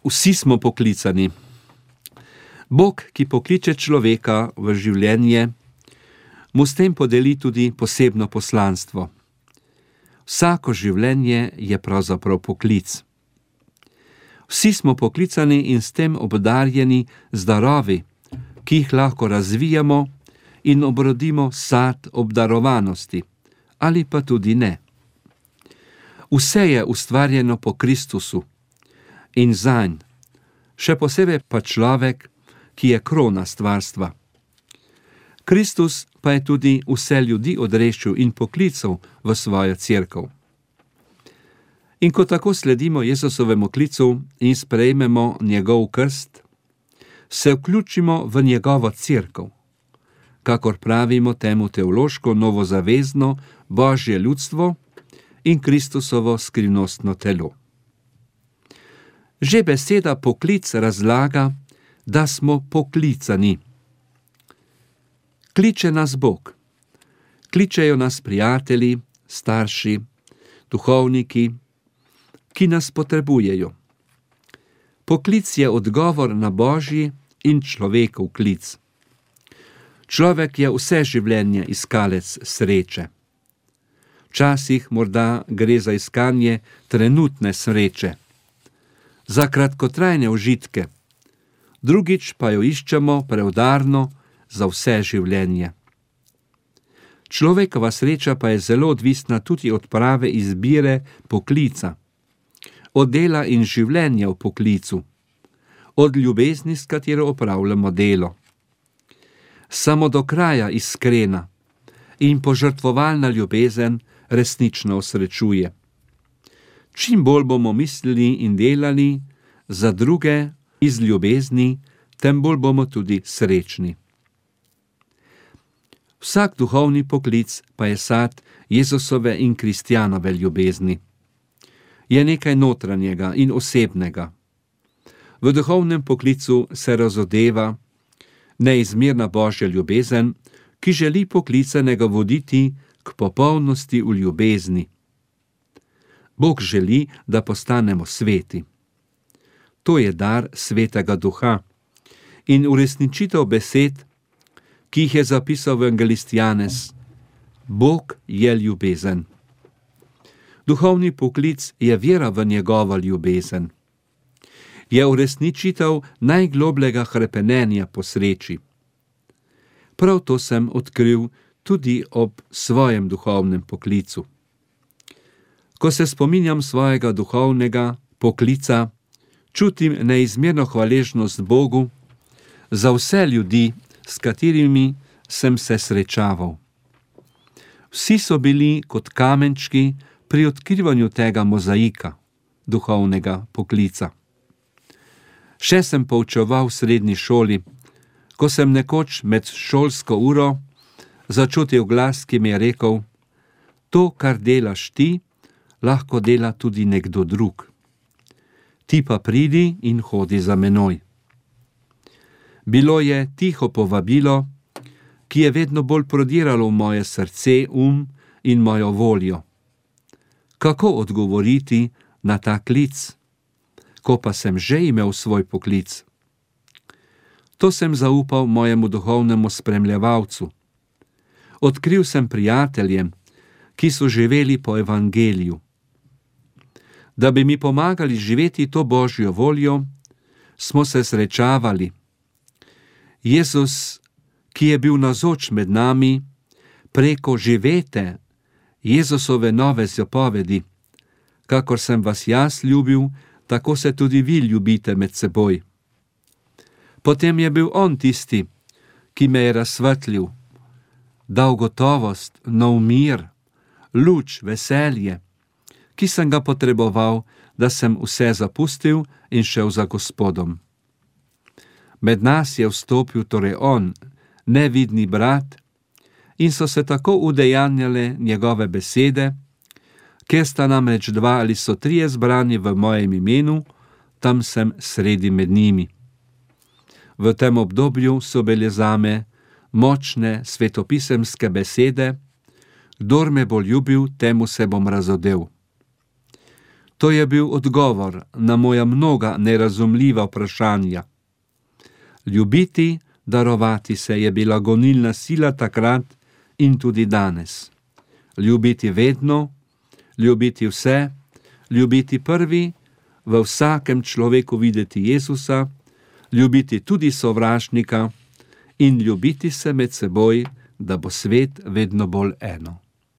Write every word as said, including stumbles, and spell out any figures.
Vsi smo poklicani. Bog, ki pokliče človeka v življenje, mu s tem podeli tudi posebno poslanstvo. Vsako življenje je pravzaprav poklic. Vsi smo poklicani in s tem obdarjeni z darovi, ki jih lahko razvijamo in obrodimo sad obdarovanosti, ali pa tudi ne. Vse je ustvarjeno po Kristusu in zanj, še posebej pa človek, ki je krona stvarstva. Kristus pa je tudi vse ljudi odreščil in poklical v svojo cerkev. In ko tako sledimo Jezusovemu klicu in sprejmemo njegov krst, se vključimo v njegovo cerkev, kakor pravimo temu teološko novozavezno Božje ljudstvo in Kristusovo skrivnostno telo. Že beseda poklic razlaga, da smo poklicani. Kliče nas Bog. Kličejo nas prijatelji, starši, duhovniki, ki nas potrebujejo. Poklic je odgovor na Božji in človekov klic. Človek je vse življenje iskalec sreče. Včasih morda gre za iskanje trenutne sreče, za kratkotrajne užitke, drugič pa jo iščemo preudarno za vse življenje. Človekova sreča pa je zelo odvisna tudi od prave izbire poklica, od dela in življenja v poklicu, od ljubezni, s katero opravljamo delo. Samo do kraja iskrena in požrtvovalna ljubezen resnično osrečuje. Čim bolj bomo mislili in delali za druge iz ljubezni, tem bolj bomo tudi srečni. Vsak duhovni poklic pa je sad Jezusove in Kristjanove ljubezni. Je nekaj notranjega in osebnega. V duhovnem poklicu se razodeva neizmerna Božja ljubezen, ki želi poklicanega voditi k popolnosti v ljubezni. Bog želi, da postanemo sveti. To je dar Svetega Duha in uresničitev besed, ki jih je zapisal evangelist Janez. Bog je ljubezen. Duhovni poklic je vera v njegovo ljubezen. Je uresničitev najglobljega hrepenenja po sreči. Prav to sem odkril tudi ob svojem duhovnem poklicu. Ko se spominjam svojega duhovnega poklica, čutim neizmerno hvaležnost Bogu za vse ljudi, s katerimi sem se srečaval. Vsi so bili kot kamenčki pri odkrivanju tega mozaika duhovnega poklica. Še sem poučeval v srednji šoli, ko sem nekoč med šolsko uro začutil glas, ki mi je rekel: to, kar delaš ti, lahko dela tudi nekdo drug. Ti pa pridi in hodi za menoj. Bilo je tiho povabilo, ki je vedno bolj prodiralo v moje srce, um in mojo voljo. Kako odgovoriti na ta klic, ko pa sem že imel svoj poklic? To sem zaupal mojemu duhovnemu spremljevalcu. Odkril sem prijateljem, ki so živeli po evangeliju. Da bi mi pomagali živeti to Božjo voljo, smo se srečavali. Jezus, ki je bil navzoč med nami, preko živete Jezusove nove zapovedi: kakor sem vas jaz ljubil, tako se tudi vi ljubite med seboj. Potem je bil on tisti, ki me je razsvetlil, dal gotovost, nov mir, luč, veselje, ki sem ga potreboval, da sem vse zapustil in šel za Gospodom. Med nas je vstopil torej on, nevidni brat, in so se tako udejanjale njegove besede: kjer sta namreč dva ali so trije zbrani v mojem imenu, tam sem sredi med njimi. V tem obdobju so bile zame močne svetopisemske besede: kdor me bo ljubil, temu se bom razodel. To je bil odgovor na moja mnoga nerazumljiva vprašanja. Ljubiti, darovati se je bila gonilna sila takrat in tudi danes. Ljubiti vedno, ljubiti vse, ljubiti prvi, v vsakem človeku videti Jezusa, ljubiti tudi sovražnika in ljubiti se med seboj, da bo svet vedno bolj eno.